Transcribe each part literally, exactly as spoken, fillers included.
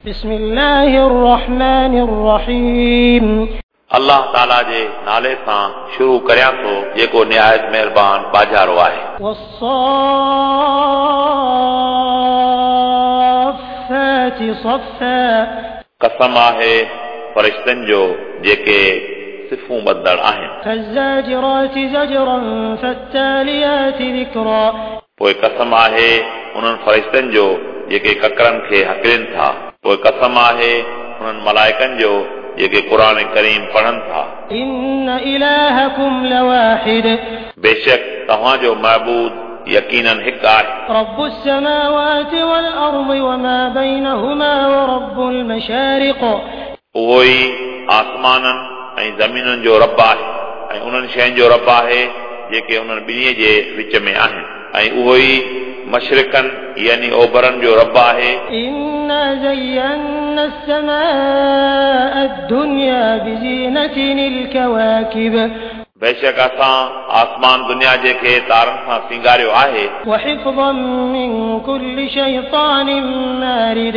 بسم الله الرحمن الرحيم. الله تعالى جي نالي سان شروع ڪريان ٿو جيڪو نهايت مهربان ٻاجهارو آهي. والصافات صفا. قسم آهي فرشتن جو جيڪي صفون ٻڌندڙ آهن. فالزاجرات زجرا فالتاليات ذڪرا. پوءِ قسم آهي انهن فرشتن جو جيڪي ڪڪرن کي هڪلين ٿا. پوءِ قسم آهي انهن ملائڪن جو جيڪي قرآن ڪريم پڙهن ٿا. إن إلهكم لواحد. بيشڪ توهان جو معبود يقيناً هڪ آهي. رب السماوات والأرض وما بينهما ورب المشارق. اهو ئي آسمانن ۽ زمينن جو رب آهي ۽ انهن شين جو رب آهي جيڪي انهن ٻنهي جي وچ ۾ آهن ۽ اهو ئي مشرقن يعني اوڀرن جو رب آهي. إنا زينا السماء الدنيا بزينة الكواكب. بيشڪ اسان آسمان دنيا جي کي تارن سان سينگاريو آهي. وحفظا من كل شيطان مارد.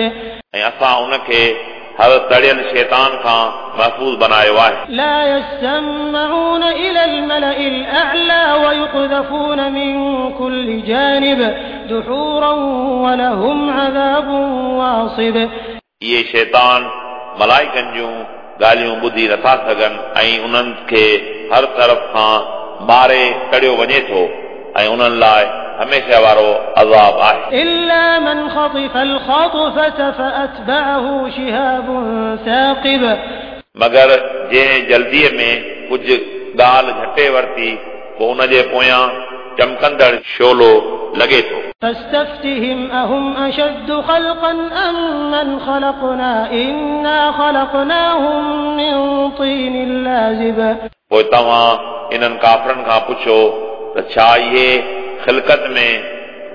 ۽ اسان ان کي هر تڙيل شيطان کان محفوظ بڻايو آهي. لا يسمعون إلى الملأ الأعلى ويقذفون من كل جانب دحورا ولهم عذاب واصب. اهي شيطان ملائڪن جون ڳالهيون ٻڌي نٿا سگهن ۽ انهن کي هر طرف کان ماري تڙيو وڃي ٿو ۽ انهن لاءِ هميشه وارو عذاب آهي. إلا من خطف الخطفة فأتبعه شهاب ثاقب. مگر جنهن جلديءَ ۾ ڪجهه ڳالهه جهٽي ورتي پوءِ ان جي پويان چمڪندڙ شعلو لڳي ٿو. فاستفتهم أهم أشد خلقا أم من خلقنا إنا خلقناهم من طين لازب. پوءِ توهان انهن ڪافرن کان پڇو ته ڇا اهي خلقت ۾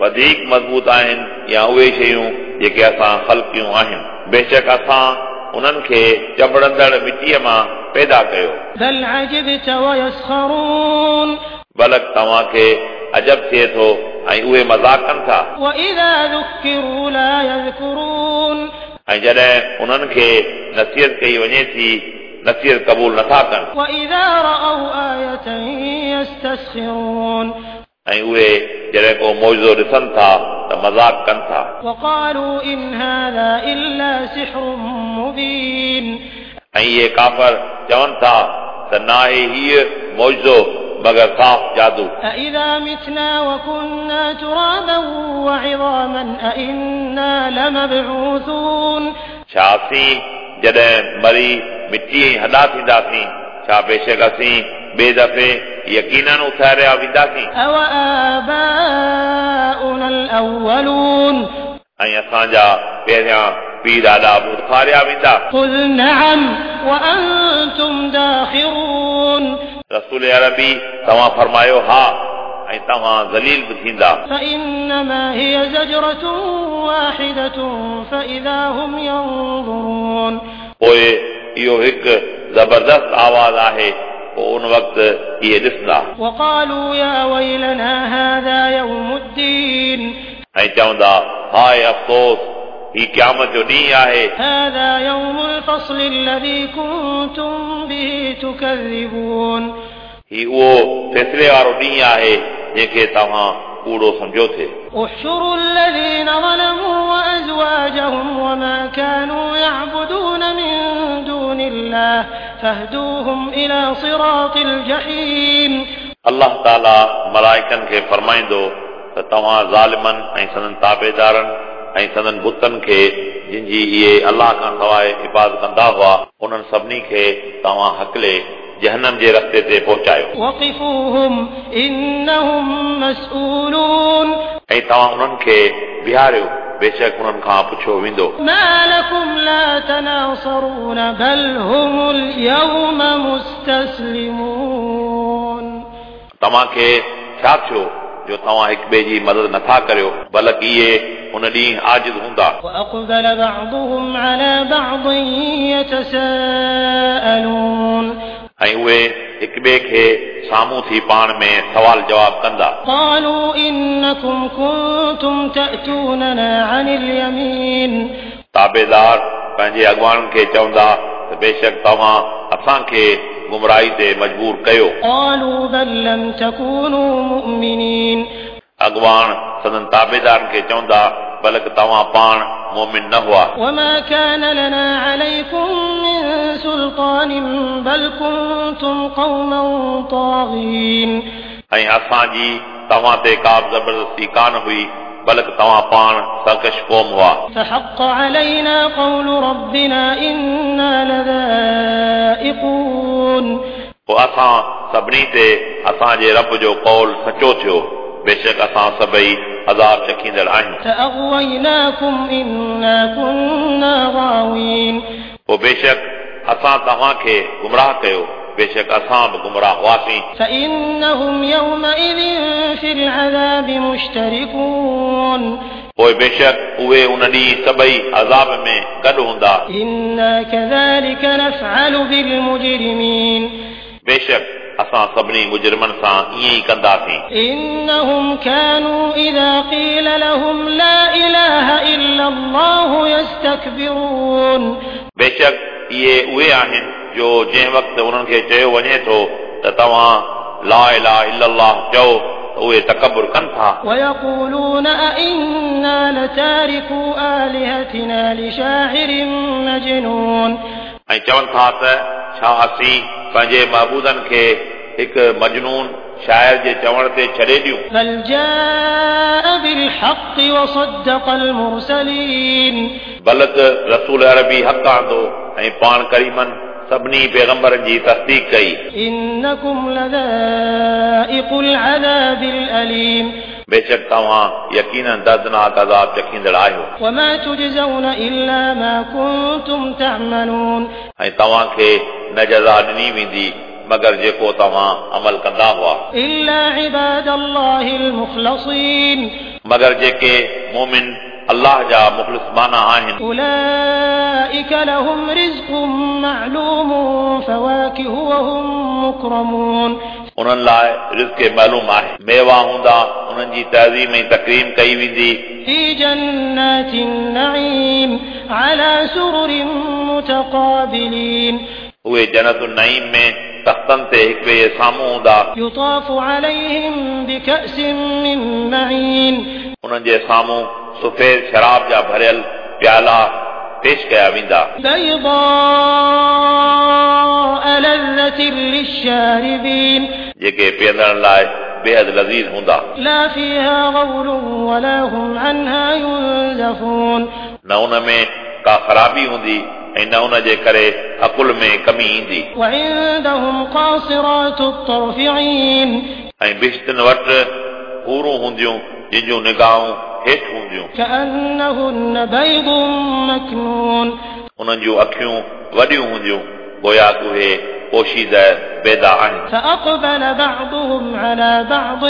وڌيڪ مضبوط آهن يا اهي شيون جيڪي اسان خلقيون آهن؟ بيشڪ اسان انهن کي چنبڙندڙ مٽيءَ مان پيدا ڪيو. بل عجبت ويسخرون. بلڪ توهان کي عجب ٿئي ٿو ۽ اهي مذاق ڪن ٿا. وإذا ذكروا لا يذكرون. ۽ جڏهن انهن کي نصيحت ڪئي وڃي ٿي نصيحت قبول نٿا ڪن. وإذا رأوا آية يستسخرون. ۽ اهي جڏهن ڪو معجزو ڏسن ٿا ته مذاق ڪن ٿا. وقالوا إن هذا إلا سحر مبين. ۽ اهي ڪافر چون ٿا ته ناهي هيءُ معجزو مگر صاف جادو. أإذا متنا وكنا ترابا وعظاما أإنا لمبعوثون. ڇا اسين جڏهن مري مٽي ۽ هڏا ٿينداسين ڇا بيشڪ اسين ٻئي دفعي يقينن اٿاريا وينداسين؟ أوآباؤنا الأولون. ۽ اسان جا پهريان پيءُ ڏاڏا به اٿاريا ويندا. قل نعم وأنتم داخرون. رسول عربي توهان فرمايو ها ۽ توهان ذليل به ٿيندا. فإنما هي زجرة واحدة فإذا هم ينظرون. پوءِ اهو هڪ زبردست آواز آهي پوءِ ان وقت اهي ڏسندا. وقالوا يا ويلنا هذا يوم الدين. ۽ چوندا هاءِ افسوس هي قيامت جو ڏينهن آهي. هذا يوم الفصل الذي كنتم به تكذبون. هي اهو فيصلي وارو ڏينهن آهي جنهن کي توهان ڪوڙو سمجهو ٿي. احشروا الذين ظلموا وأزواجهم وما كانوا يعبدون من دون الله فاهدوهم إلى صراط الجحيم. الله تعالى ملائڪن کي فرمائيندو ته توهان ظالمن ۽ سندن تابعدارن ۽ سندن بتن کي جن جي اهي الله کان سواءِ عبادت ڪندا هئا انهن سڀني کي توهان هڪلي جهنم جي رستي تي پهچايو. وقفوهم إنهم مسؤولون. ۽ توهان انهن کي بيهاريو بيشڪ انهن کان پڇيو ويندو. ما لكم لا تناصرون بل هم اليوم مستسلمون. توهان کي ڇا ٿيو جو توهان هڪ ٻئي جي مدد نٿا ڪريو بلڪ اهي ان ڏينهن عاجز هوندا. وأقبل بعضهم على بعض يتساءلون. ऐं उहे हिक ॿिए खे साम्हूं थी पाण में सवाल जवाब कंदा। قالوا إنكم كنتم تأتوننا عن اليمين। ताबेदार पंहिंजे अॻवाणनि खे चवंदा त बेशक तव्हां असांखे गुमराही ते मजबूर कयो। قالوا بل لم تكونوا مؤمنين। अॻवाण संदन ताबेदारनि खे चवंदा बल्कि तव्हां पाण मोमिन न हुआ। وما كان لنا عليكم من سلطان بل كنتم قوما طاغين। ऐं असांजी तव्हां ते का बि ज़बरदस्ती कान हुई बल्कि तव्हां पाण सरकश क़ौम हुआ। فحق علينا قول ربنا إنا لذائقون। पोइ असां सभिनी ते असांजे रब जो क़ौल सचो थियो, बेशक असां सभई अज़ाब चखींदड़ आहियूं। فأغويناكم إنا كنا غاوين। पोइ बेशक असां तव्हांखे गुमराह कयो, बेशक असां बि गुमराह हुआसीं। فإنهم يومئذ في العذاب مشتركون। पोइ बेशक उहे उन ॾींहुं सभई अज़ाब में गॾु हूंदा। إنا كذلك نفعل بالمجرمين। बेशक असां सभिनी मुजरिमनि सां ईअं ई कंदासीं। إنهم كانوا إذا قيل لهم لا إله إلا الله يستكبرون। बेशक इहे उहे आहिनि जो जंहिं वक़्तु उन्हनि खे चयो वञे थो त तव्हां ला इलाहा इल्लल्लाह चओ त उहे तकबुर कनि था। ويقولون أئنا لتاركو آلهتنا لشاعر مجنون। ऐं चवनि था त छा असीं पंहिंजे महबूदनि खे हिकु मजनून शाइर जे चवण ते छॾे ॾियूं। بل جاء بالحق وصدق المرسلين। बल्कि रसूल अरबी हक़ आंदो ऐं पाण करीमनि सभिनी पैगंबरनि जी तस्दीक कई। إنكم لذائق العذاب الأليم। बेशक तव्हां यकीनन दर्दनाक अज़ाब चखींदड़ आहियो। وما تجزون إلا ما كنتم تعملون। ऐं तव्हांखे न जज़ा ॾिनी वेंदी मगर जेको तव्हां अमल कंदा हुआ। إلا عباد الله المخلصين। मगर जेके मोमिन अल्लाह जा मुख़लिस माना आहिनि। أولئك لهم رزق معلوم فواكه وهم مكرمون। उन्हनि लाइ रिज़्क मालूम आहे, मेवा हूंदा, उन्हनि जी तज़ीम ऐं तकरीम कई वेंदी। في جنات النعيم على سرر متقابلين। उहे जन्नत नईम में तख़्तनि ते हिक ॿिए जे साम्हूं हूंदा। يطاف عليهم بكأس من معين। उन्हनि जे साम्हूं सफ़ेद शराब जा भरियल प्याला पेश कया वेंदा। بيضاء لذة للشاربين। जेके पीअंदड़नि लाइ बेहद लज़ीज़ हूंदा। لا فيها غول ولا هم عنها ينزفون। न उन में का ख़राबी हूंदी ऐं न उन जे करे अकुल में कमी ईंदी। وعندهم قاصرات الطرف عين। ऐं बिश्तनि वटि हूरूं हूंदियूं जिन जूं निगाहूं हेठि हूंदियूं। كأنهن بيض مكنون। उन्हनि जूं अखियूं वॾियूं हूंदियूं गोया उहे पोशीदा बेदा आहिनि। فأقبل بعضهم على بعض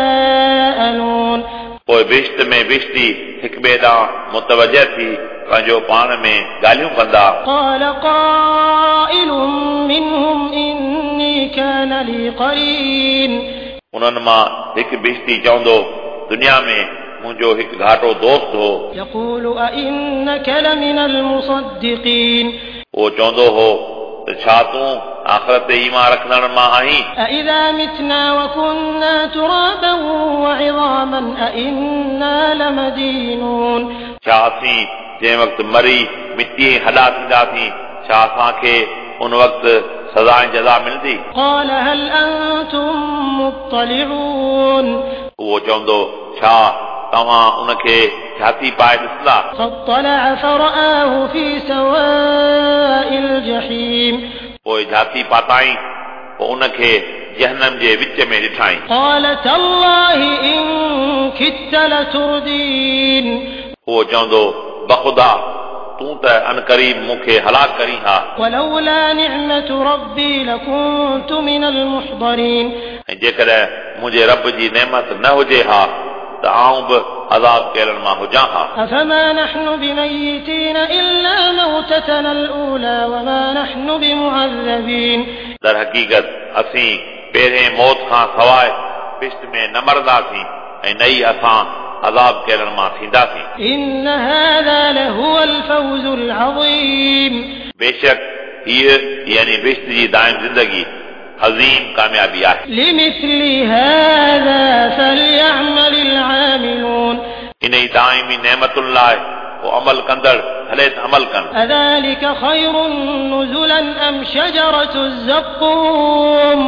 يتساءلون। पोइ बिश्त में बिश्ती हिक ॿिए ॾांहुं मुतवजह थी पंहिंजो पाण में ॻाल्हियूं कंदा। قال قائل منهم إني كان لي قرين। उन्हनि मां हिकु बिश्ती चवंदो दुनिया में मुंहिंजो हिकु घाटो दोस्त हो। يقول أئنك لمن المصدقين। उहो चवंदो हो त छा तूं आख़िरत ते ईमान रखंदड़ मां आहीं? أإذا متنا وكنا ترابا وعظاما أإنا لمدينون। छा असीं जंहिं वक़्तु मरी मिटी ऐं हॾा थींदासीं छा असांखे उन वक़्तु सज़ा ऐं जज़ा मिलंदी? قال هل أنتم مطلعون। उहो चवंदो छा तव्हां उनखे झाती पाए ॾिसंदा? فاطلع فرآه في سواء الجحيم। पोइ झाती पाताई पोइ उनखे जहनम जे विच में ॾिठाई। قال تالله إن كدت لتردين। उहो चवंदो बख़ुदा तूं त अनकरीब मूंखे हलाक करी हा। ولولا نعمة ربي لكنت من المحضرين। ऐं जेकॾहिं मुंहिंजे रब जी नेमत न हुजे हा त आउं बि अज़ाब कयलनि मां हुजां हा। أفما نحن بميتين إلا موتتنا الأولى وما نحن بمعذبين। दर हक़ीक़त असीं पहिरें मौत खां सवाइ बिश्त में न मरंदासीं ऐं न ई असां अज़ाब कयलनि मां थींदासीं। إن هذا لهو الفوز العظيم। बेशक हीअ यानी बहिश्त जी दाइम ज़िंदगी अज़ीम कामयाबी आहे। لمثل هذا فليعمل العاملون। इन ई दाइमी नेमतुनि लाइ पोइ अमल कंदड़ भले त अमल कनि। أذلك خير نزلا أم شجرة الزقوم।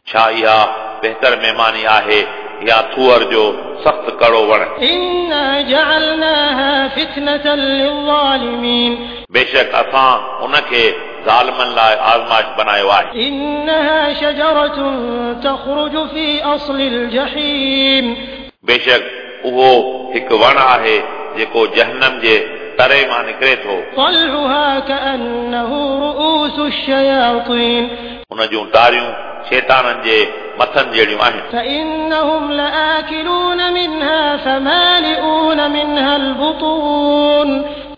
छा इहा बहितर महिमानी आहे या थूअर जो सख़्त कड़ो वण? إنا جعلناها فتنة للظالمين। बेशक असां उनखे ज़ालिमनि लाइ आज़माइश बनायो आहे। إنها شجرة تخرج في أصل الجحيم। बेशक उहो हिकु वण आहे जेको जहन्नम जे तरे मां निकिरे थो। طلعها كأنه رؤوس الشياطين। उन जूं टारियूं शैताननि जे मथनि जहिड़ियूं आहिनि। فإنهم لآكلون منها فمالئون منها البطون।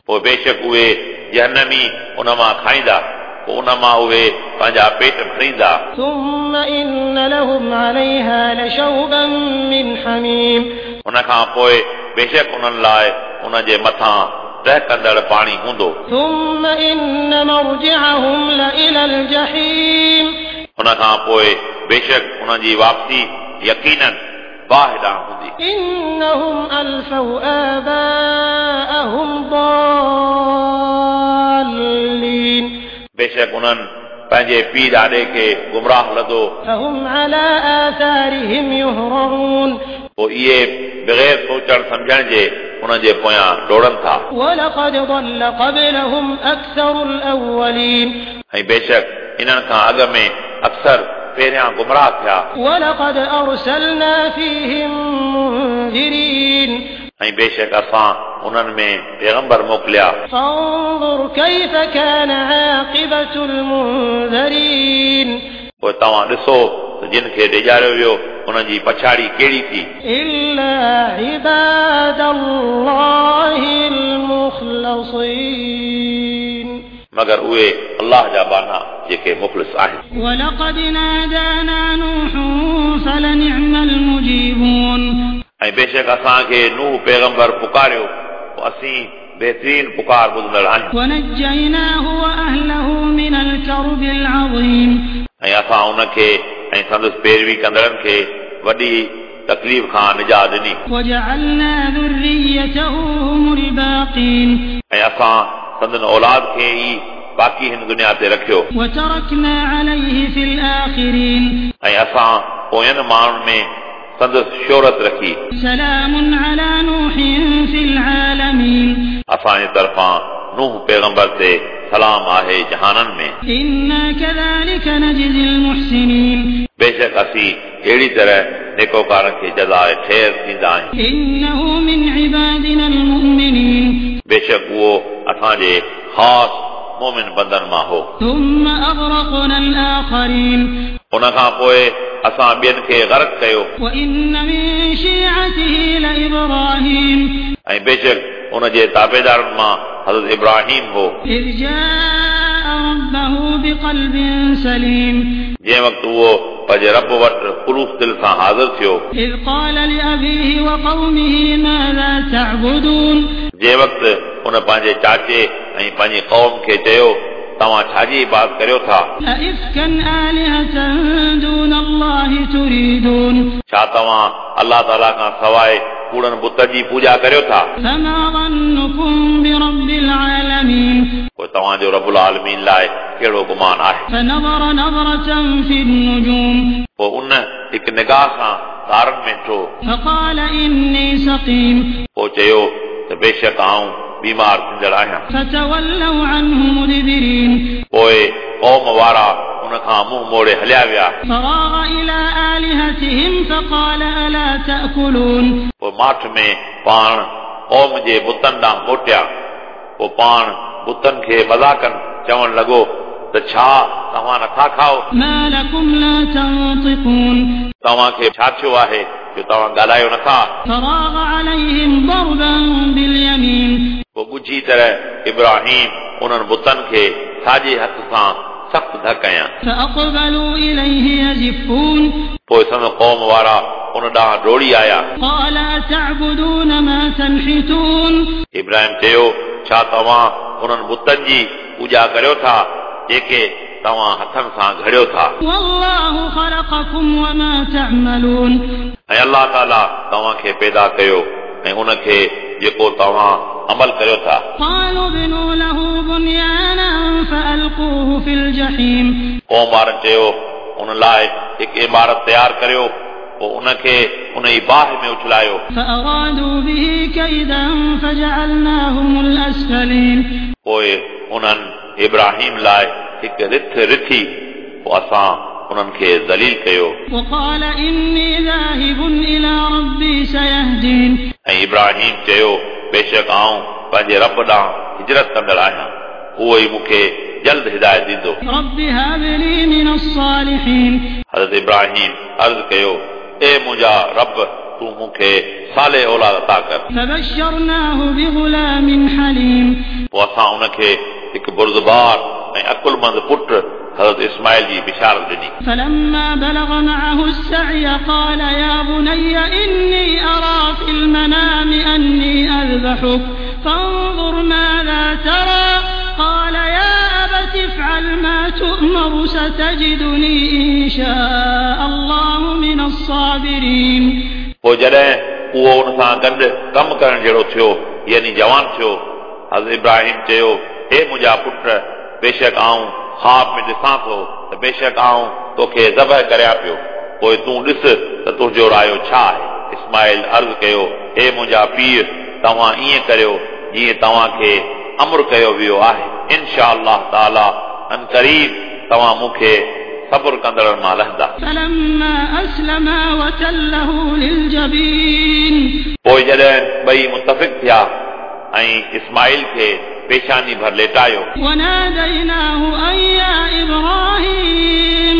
पोइ बेशक उहे जहन्नमी उन मां खाईंदा, पोइ उन मां उहे पंहिंजा पेट भरींदा। ثم إن لهم عليها لشوبا من حميم। उन खां पोइ बेशक उन्हनि लाइ उन जे मथां टहकंदड़ पाणी हूंदो। ثم إن مرجعهم لإلى الجحيم। उन खां पोइ बेशक उन्हनि जी वापसी यकीनन बाहि ॾांहुं हूंदी। إنهم ألفوا آباءهم ضالين। बेशक उन्हनि पंहिंजे पीउ ॾाॾे खे गुमराह लधो। فهم على آثارهم يهرعون। पोइ इहे बग़ैर सोचण सम्झण जे उन्हनि जे पोयां दौड़नि था। ولقد ضل قبلهم أكثر الأولين। ऐं बेशक इन्हनि खां अॻु में अक्सर पहिरियां गुमराह थिया। ولقد أرسلنا فيهم منذرين। ऐं बेशक असां उन्हनि में पैगंबर मोकिलिया। فانظر كيف كان عاقبة المنذرين। पोइ तव्हां ॾिसो त जिन खे ॾेजारियो वियो उन्हनि जी पछाड़ी कहिड़ी थी। إلا عباد الله المخلصين। मगर उहे अल्लाह जा बाना जेके मुख़लिस आहिनि। ولقد نادانا نوح فلنعم المجيبون। ऐं बेशक असांखे नूह पैगंबर पुकारियो, पोइ असीं बहितरीन पुकार ॿुधंदड़ आहियूं। ونجيناه وأهله من الكرب العظيم। ऐं असां उनखे ऐं संदसि पैरवी कंदड़नि खे वॾी तकलीफ़ खां निजात ॾिनी। وجعلنا ذريته هم الباقين। ऐं असां संदन औलाद खे ई बाक़ी हिन दुनिया ते रखियो। وتركنا عليه في الآخرين। ऐं असां पोयनि माण्हुनि में संदसि शोहरत रखी। سلام على نوح في العالمين। असांजे तरफ़ां नूह पैगंबर ते सलाम आहे जहाननि में। إنا كذلك نجزي المحسنين। बेशक असीं अहिड़ी तरह नेकोकारनि खे जज़ा ख़ैर ॾींदा आहियूं। إنه من عبادنا المؤمنين। बेशक उहो असांजे ख़ासि मोमिन बंदनि मां हो। ثم أغرقنا الآخرين। उन खां पोइ असां ॿियनि खे गर्क कयो। وإن من شيعته لإبراهيم। ऐं बेशक उन जे ताबेदारनि मां हज़रत इब्राहिम हो। إذ جاء ربه بقلب سليم। जंहिं वक़्तु उहो पंहिंजे रब वटि ख़ुलूस दिलि सां हाज़िर थियो। إذ قال لأبيه وقومه ماذا تعبدون। जंहिं वक़्तु उन पंहिंजे चाचे ऐं पंहिंजी क़ौम खे चयो, तव्हां छाजी इबादत करियो था? أئفكا آلهة دون الله تريدون। छा तव्हां अल्लाह ताला खां सवाइ कूड़नि बुतनि जी पूॼा करियो था? فما ظنكم برب العالمين। पोइ तव्हांजो रबुल आलमीन लाइ कहिड़ो गुमान आहे? فنظر نظرة في النجوم। पोइ उन हिकु निगाह सां तारनि में ॾिठो। فقال إني سقيم। पोइ चयो त बेशक आउं बीमार थींदड़ आहियां। فتولوا عنه مدبرين। पोइ क़ौम वारा उन खां मुंहुं मोड़े हलिया विया। فراغ إلى آلهتهم فقال ألا تأكلون। पोइ माठ में पाण क़ौम जे बुतनि ॾांहुं मोटिया। पोइ पाण बुतनि खे मज़ाकनि चवणु लॻो त छा तव्हां नथा खाओ? ما لكم لا تنطقون। तव्हांखे छा थियो आहे जो तव्हां ॻाल्हायो नथा? فراغ عليهم ضربا باليمين। पोइ ॻुझी तरह इब्राहिम उन्हनि बुतनि खे साॼे हथ सां सख़्तु धक कयां। فأقبلوا إليه يزفون। पोइ संदसि क़ौम वारा उन ॾांहुं डोड़ी आया। قال أتعبدون ما تنحتون इब्राहिम चयो छा तव्हां उन्हनि बुतनि जी पूॼा करियो था जेके तव्हां हथनि सां घड़ियो था। والله خلقكم وما تعملون ऐं अलाह ताला तव्हांखे पैदा कयो ऐं उनखे जेको तव्हां अमल करियो था। قالوا ابنوا له بنيانا فألقوه في الجحيم क़ौम वारनि चयो उन लाइ हिकु इमारत तयारु करियो पोइ उनखे उन ई बाहि में उछलायो। فأرادوا به كيدا فجعلناهم الأسفلين पोइ उन्हनि इब्राहिम लाइ हिकु रिथ रिथी पोइ असां उन्हनि खे ज़लील कयो। وقال إني ذاهب إلى ربي سيهدين ऐं इब्राहिम चयो बेशक आउं पंहिंजे रब ॾांहुं हिजरत कंदड़ आहियां, उहो ई मूंखे जल्द हिदायत ॾींदो। رب هب لي من الصالحين हज़रत इब्राहिम अर्ज़ कयो ए मुंहिंजा रब तूं मूंखे साले औलाद अता कर। فبشرناه بغلام حليم पोइ असां उनखे हिकु बुर्दबार ऐं अकुलमंद पुट हज़रत इस्माइल जी बिशारत ॾिनी। فلما بلغ معه السعي قال يا بني إني أرى في المنام أني أذبحك فانظر ماذا ترى قال يا أبت افعل ما تؤمر ستجدني إن شاء الله من الصابرين पोइ जॾहिं उहो उन सां गॾु कमु करण जहिड़ो थियो यानी जवान थियो, हज़रत इब्राहिम चयो हे मुंहिंजा पुट बेशक आउं ख़्वाब में ॾिसां थो त बेशक आउं तोखे ज़बह करियां पियो, पोइ तूं ॾिस त तुंहिंजो रायो छा आहे। इस्माइल अर्ज़ कयो हे मुंहिंजा पीउ तव्हां ईअं करियो जीअं तव्हांखे अमर कयो वियो आहे, इनशा अल्लाह ताला अन क़रीब तव्हां मूंखे सब्र कंदड़नि मां लहंदा। فلما أسلما وتله للجبين पोइ जॾहिं ॿई मुतफ़िक़ थिया ऐं इस्माइल खे पेशानी भर लेटायो। وناديناه أن يا إبراهيم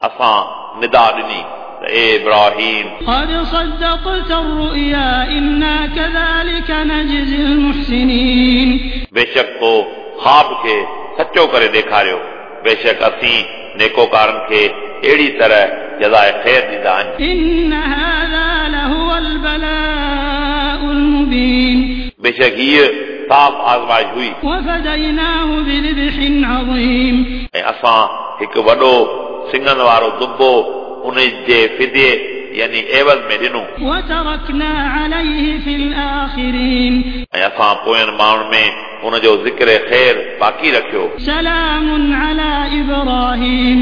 असां निदा ॾिनी त ए इब्राहिम قد صدقت الرؤيا إنا كذلك نجزي المحسنين बेशक तो ख़्वाब खे सचो करे ॾेखारियो, बेशक असीं नेकोकारनि खे अहिड़ी तरह जज़ाए ख़ैर ॾींदा आहियूं। إن هذا لهو البلاء المبين बेशक हीअ साफ़ आज़माइश हुई। وفديناه بذبح عظيم ऐं असां हिकु वॾो सिङनि वारो दुबो उन जे फिदे यानी एवज़ में ॾिनो। وتركنا عليه في الآخرين ऐं असां पोयनि माण्हुनि में उन जो ज़िक्र ख़ैर बाक़ी रखियो। سلام على إبراهيم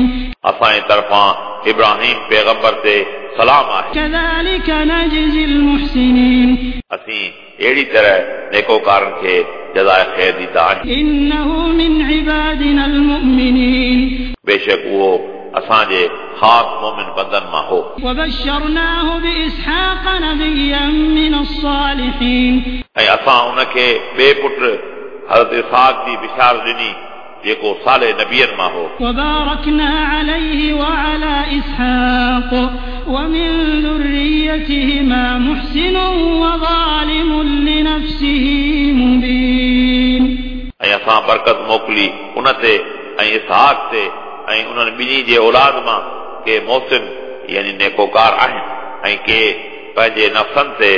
असांजे तरफ़ां इब्राहिम पैगंबर ते सलाम आहे। كذلك نجزي المحسنين असीं अहिड़ी तरह नेकोकारनि खे जज़ाए ख़ैर ॾींदा आहियूं। إنه من عبادنا المؤمنين बेशक उहो असांजे ख़ासि मोमिन बंदनि मां हो। وبشرناه بإسحاق نبيا من الصالحين ऐं असां उनखे ॿिए पुट हज़रत इसहाक जी बिशारत ॾिनी जेको साले नबियनि मां हो। وباركنا عليه وعلى إسحاق ومن ذريتهما محسن وظالم لنفسه مبين ऐं असां बरकत मोकिली उन ते ऐं इसहाक ते ऐं उन्हनि ॿिन्ही जे औलाद मां के मोहसिन यानी नेकोकार आहिनि ऐं के पंहिंजे नफ़्सनि ते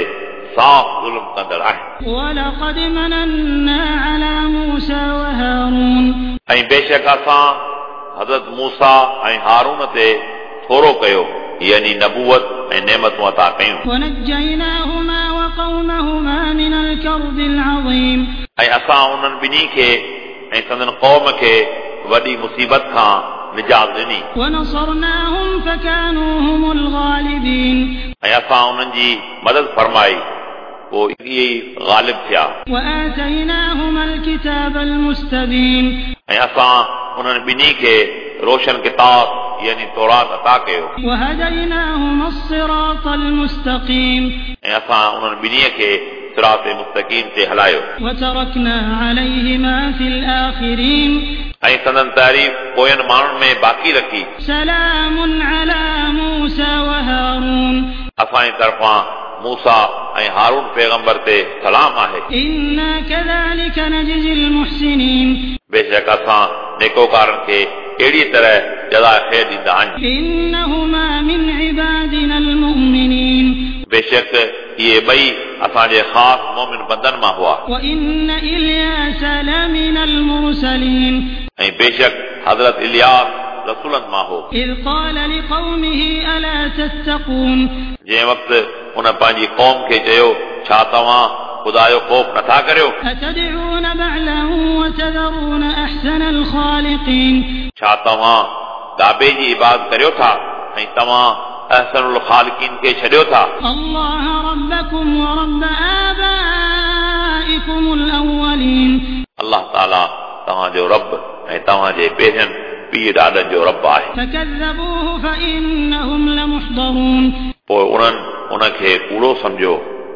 साफ़ ज़ुल्म कंदड़ आहिनि। ولقد مننا على موسى وهارون ऐं बेशक असां हज़रत मूसा ऐं हारून ते थोरो कयो यानी नबूवत ऐं नेमतूं अता कयूं। ونجيناهما وقومهما من الكرب العظيم ऐं असां उन्हनि ॿिन्ही खे ऐं संदन क़ौम खे वॾी मुसीबत खां निजात ॾिनी। ونصرناهم فكانوا هم الغالبين ऐं असां उन्हनि जी मदद फरमाई पोइ इहे ई ग़ालिब थिया। وآتيناهما الكتاب المستبين ऐं असां उन्हनि ॿिन्ही खे रोशन किताब यानी तौरात अता कयो। وهديناهما الصراط المستقيم ऐं असां उन्हनि ॿिन्ही खे सिरात मुस्तक़ीम ते हलायो। وتركنا عليهما في الآخرين ऐं संदन तारीफ़ पोयनि माण्हुनि में बाक़ी रखी। سلام على موسى وهارون असांजे तरफ़ां मूसा ऐं हारून पैगंबर ते सलाम आहे। إنا كذلك نجزي المحسنين बेशक असां नेकोकारनि खे अहिड़ी तरह जज़ा ख़ैर ॾींदा आहियूं। إنهما من عبادنا المؤمنين बेशक इहे ॿई असांजे ख़ासि मोमिन बंदनि मां हुआ। وإن إلياس لمن المرسلين ऐं बेशक हज़रत इलियास रसूलनि मां हो। إذ قال لقومه ألا تتقون जंहिं वक़्तु उन पंहिंजी क़ौम खे चयो छा तव्हां ख़ुदा जो ख़ौफ़ नथा करियो? أتدعون بعلا وتذرون أحسن الخالقين छा तव्हां गाबे जी इबादत करियो था ऐं तव्हां अहसनुल ख़ालिक़ीन खे छॾियो था? الله ربكم ورب آبائكم الأولين अल्लाह ताला तव्हांजो रब ऐं तव्हांजे पहिरियनि पीउ ॾाॾनि जो रब आहे। فكذبوه فإنهم لمحضرون पोइ उन्हनि उनखे कूड़ो सम्झो,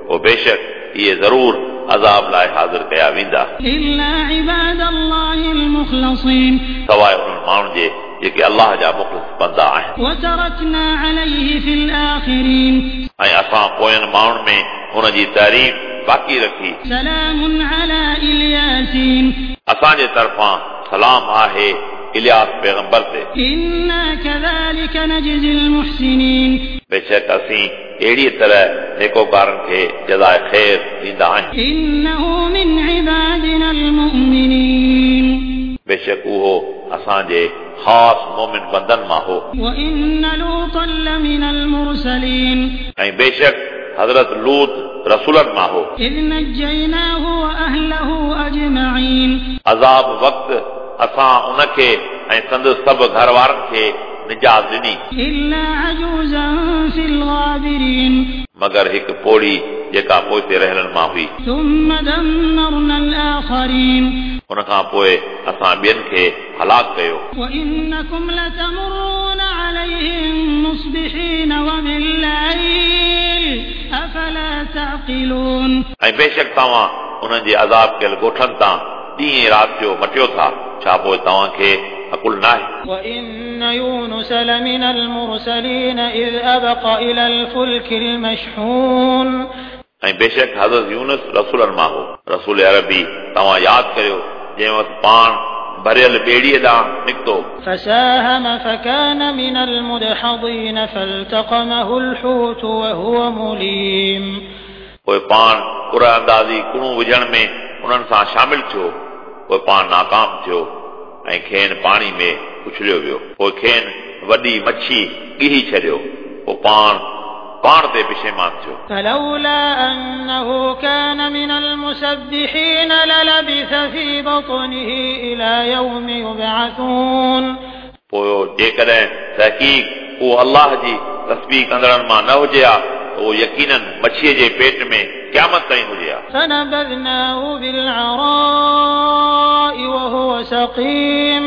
पोइ बेशक इहे ज़रूर अज़ाब लाइ हाज़िर कया वेंदा। إلا عباد الله المخلصين सवाइ उन्हनि माण्हुनि जे जेके अल्लाह जा मुख़लिस बंदा आहिनि। وتركنا عليه في الآخرين ऐं असां पोयनि माण्हुनि में उनजी तारीफ़ बाक़ी रखी। سلام على الياسين असांजे तरफ़ां सलाम आहे इलियास पैगंबर ते। إنا كذلك نجزي المحسنين बेशक असीं अहिड़ी तरह नेकोकारनि खे जज़ाए ख़ैर ॾींदा आहियूं। إنه من عبادنا المؤمنين बेशक उहो असांजे ख़ासि मोमिन बंदनि मां हो। وإن لوطا لمن المرسلين ऐं बेशक हज़रत लूत रसूलनि मां हो। إذ نجيناه وأهله أجمعين अज़ाब वक़्तु असां उनखे ऐं संदसि सभु घर वारनि खे निजात ॾिनी। إلا عجوزا في الغابرين मगर हिकु पोड़ी जेका पोइते रहियलनि मां हुई। ثم دمرنا الآخرين उन खां पोइ असां ॿियनि खे हलाक कयो। وإنكم لتمرون عليهم مصبحين وبالليل أفلا تعقلون ऐं बेशक तव्हां उन्हनि जे अज़ाब कयल ॻोठनि तां ॾींहुं ऐं राति जो मटियो था, छा पोइ तव्हांखे अकुल न आहे? وإن يونس لمن المرسلين إذ أبق إلى الفلك المشحون ऐं बेशक हज़रत यूनुस रसूलनि मां हो। रसूल अरबी तव्हां यादि करियो जंहिं वक़्तु पाण भरियल ॿेड़ीअ ॾांहुं निकितो। فساهم فكان من المدحضين فالتقمه الحوت وهو مليم पोइ पाण कुरा अंदाज़ी कुणू विझण में उन्हनि सां शामिल थियो, पोइ पाण नाकाम थियो ऐं खेनि पाणी में उछलियो वियो। पोइ खेनि वॾी मच्छी ॻिही छॾियो, पोइ पाण पाण ते पिशेमान थियो। فلولا أنه كان من المسبحين للبث في بطنه إلى يوم يبعثون पोइ जेकॾहिं तहक़ीक़ उहो अल्लाह जी तस्बीह कंदड़नि मां न हुजे हा त उहो यकीनन मच्छीअ जे पेट में क़यामत ताईं हुजे हा। فنبذناه بالعراء وهو سقيم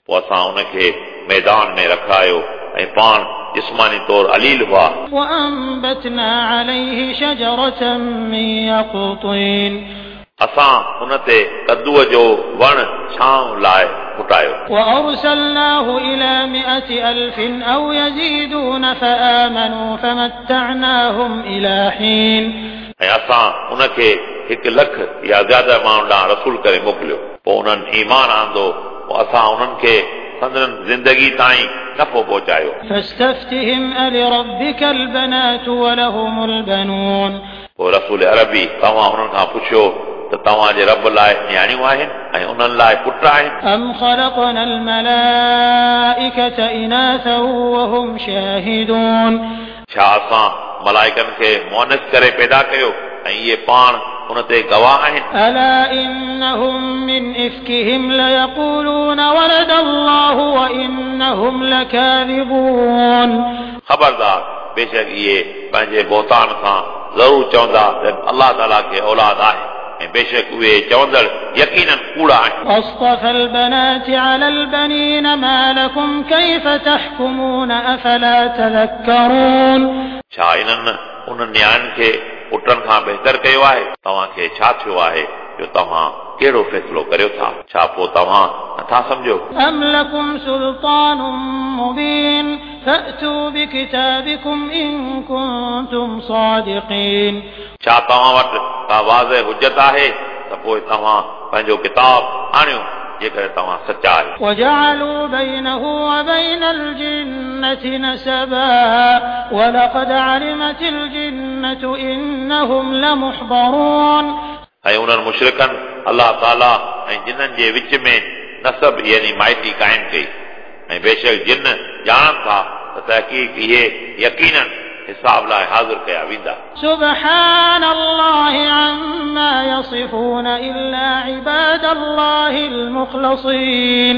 पोइ असां उनखे मैदान में रखायो ऐं पाण जिस्मानी तौर अलील हुआ। وأنبتنا عليه شجرة من يقطين असां उन ते कद्दूअ जो वण छांव लाइ फुटायो। وأرسلناه إلى مئة ألف أو يزيدون فآمنوا فمتعناهم إلى حين ऐं असां उनखे हिकु लख या ज़्यादा माण्हुनि ॾांहुं रसूल करे मोकिलियो, पोइ उन्हनि ईमान आंदो, पोइ असां उन्हनि खे संदन ज़िंदगी ताईं नफ़ो पहुचायो। فاستفتهم ألربك البنات ولهم البنون पोइ रसूल अरबी तव्हां उन्हनि खां पुछियो त तव्हांजे रब लाइ नियाणियूं आहिनि ऐं उन्हनि लाइ पुट आहिनि? أم خلقنا الملائكة إناثا وهم شاهدون छा असां मलाइकनि खे मुअन्नस करे पैदा कयो ऐं इहे पाण उन ते गवाह आहिनि? ألا إنهم من إفكهم ليقولون ولد الله وإنهم لكاذبون ख़बरदार बेशक इहे पंहिंजे बोहतान सां ज़रूर चवंदा त अल्लाह ताला खे औलाद आहे ऐं बेशक उहे चवंदड़ यकीनन कूड़ा आहिनि। أصطفى البنات على البنين ما لكم كيف تحكمون أفلا تذكرون छा इन्हनि उन्हनि नियाणियुनि खे पुटनि खां बहितर कयो आहे? तव्हांखे छा थियो आहे जो तव्हां कहिड़ो फ़ैसिलो करियो था? छा पोइ तव्हां नथा सम्झो? أم لكم سلطان مبين فأتوا بكتابكم إن كنتم صادقين छा तव्हां वटि का वाज़े हुजत आहे त पोइ तव्हां पंहिंजो किताब आणियो जेकॾहिं तव्हां सचा आहियो। وجعلوا بينه وبين الجنة نسبا ولقد علمت الجنة إنهم لمحضرون। ऐं उन्हनि मुशरिकनि अलाह ताला ऐं जिन्ननि जे विच में नसब यानी माइटी क़ाइमु कई ऐं बेशक जिन ॼाणनि था त तहक़ीक़ इहे यकीनन हिसाब लाइ हाज़िर कया वेंदा। سبحان الله عما يصفون إلا عباد الله المخلصين।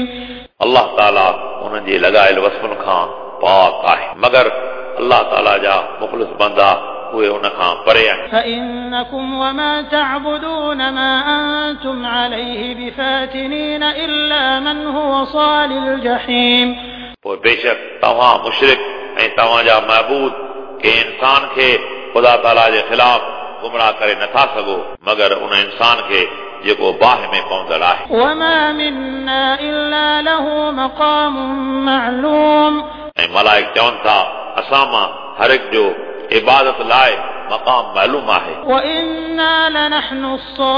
अलाह ताला उन्हनि जे लॻायल वस्फ़ुनि खां पाक आहे, मगर अलाह ताला जा मुख़लिस बंदा उहे उन खां परे आहिनि। فإنكم وما تعبدون ما أنتم عليه بفاتنين إلا من هو صال الجحيم। पोइ बेशक तव्हां मुशरिक ऐं तव्हांजा महबूद कंहिं इंसान खे ख़ुदा ताला जे ख़िलाफ़ गुमराह करे नथा सघो, मगर उन इंसान खे जेको बाहि में पवंदड़ आहे। وما منا إلا له مقام معلوم। ऐं मलाइक चवनि था असां मां हर हिकु जो इबादत लाइ मक़ाम मालूम आहे। وإنا لنحن الصافون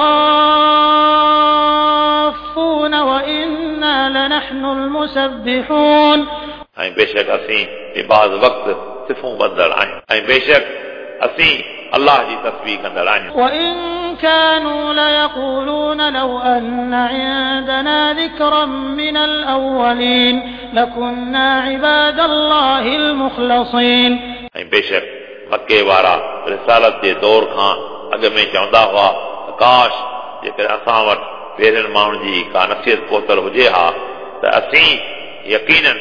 وإنا لنحن المسبحون। ऐं बेशक असीं इबादत वक़्तु सिफ़ूं ॿधंदड़ आहियूं ऐं बेशक असीं अलाह जी तस्बीह कंदड़ आहियूं। وإن كانوا ليقولون لو أن عندنا ذكرا من الأولين لكنا عباد الله المخلصين। ऐं बेशक मक्के वारा रिसालत जे दौर खां अॻु में चवंदा हुआ काश जेकॾहिं असां वटि पहिरियनि माण्हुनि जी का नसीहत पहुतल हुजे हा त असीं यकीनन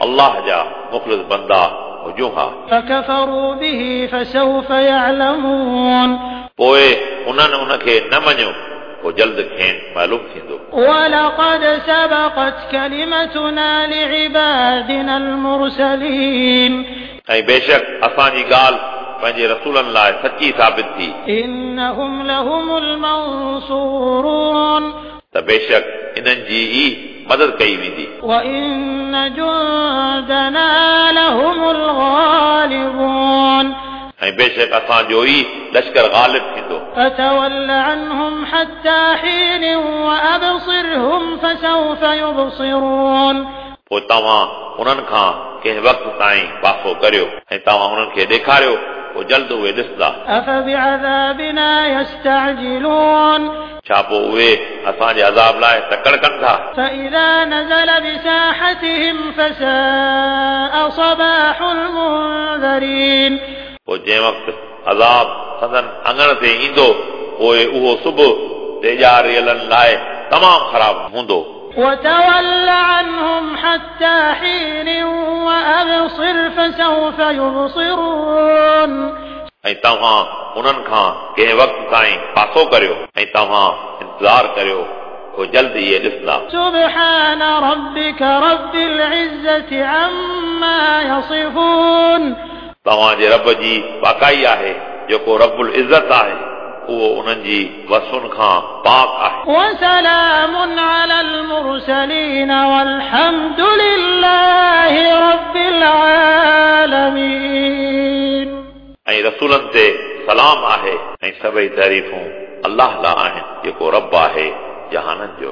अलाह जा मुख़लिस बंदा हुजूं हा। فكفروا به فسوف يعلمون। पोइ उन्हनि उनखे न मञियो, पोइ जल्द खेनि मालूम थींदो। ولقد سبقت كلمتنا لعبادنا المرسلين। ऐं बेशक असांजी ॻाल्हि पंहिंजे रसूलनि लाइ सची साबित थी। إنهم لهم المنصورون। त बेशक इन्हनि जी ई मदद कई वेंदी। وإن جندنا لهم الغالبون। ऐं बेशक असांजो ई लश्कर ग़ालिब थींदो। فتول عنهم حتى حين وأبصرهم فسوف يبصرون। पोइ तव्हां उन्हनि खां कंहिं वक़्त ताईं पासो करियो ऐं तव्हां उन्हनि खे ॾेखारियो, पोइ जल्द उहे ॾिसंदा। أفبعذابنا يستعجلون। छा पोइ उहे असांजे अज़ाब लाइ तकड़ कनि था? فإذا نزل بساحتهم فساء صباح المنذرين। पोइ जंहिं वक़्तु अज़ाब संदन आङण ते ईंदो, पोइ उहो सुबुह टेॼारियलनि लाइ तमामु ख़राबु हूंदो। وتول عنهم حتى حين وأبصر فسوف يبصرون। ऐं तव्हां उन्हनि खां कंहिं वक़्त ताईं पासो करियो ऐं तव्हां इंतज़ार करियो, पोइ जल्द इहे ॾिसंदा। سبحان ربك رب العزة عما يصفون। तव्हांजे रब जी पाकाई आहे, जेको रबुल इज़त आहे, उहो उन्हनि जी वसुनि खां पाक आहे। وسلام على المرسلين والحمد لله رب العالمين। ऐं रसूलनि ते सलाम आहे ऐं सभई तारीफ़ूं अलाह लाइ आहिनि, जेको रब आहे जहाननि जो।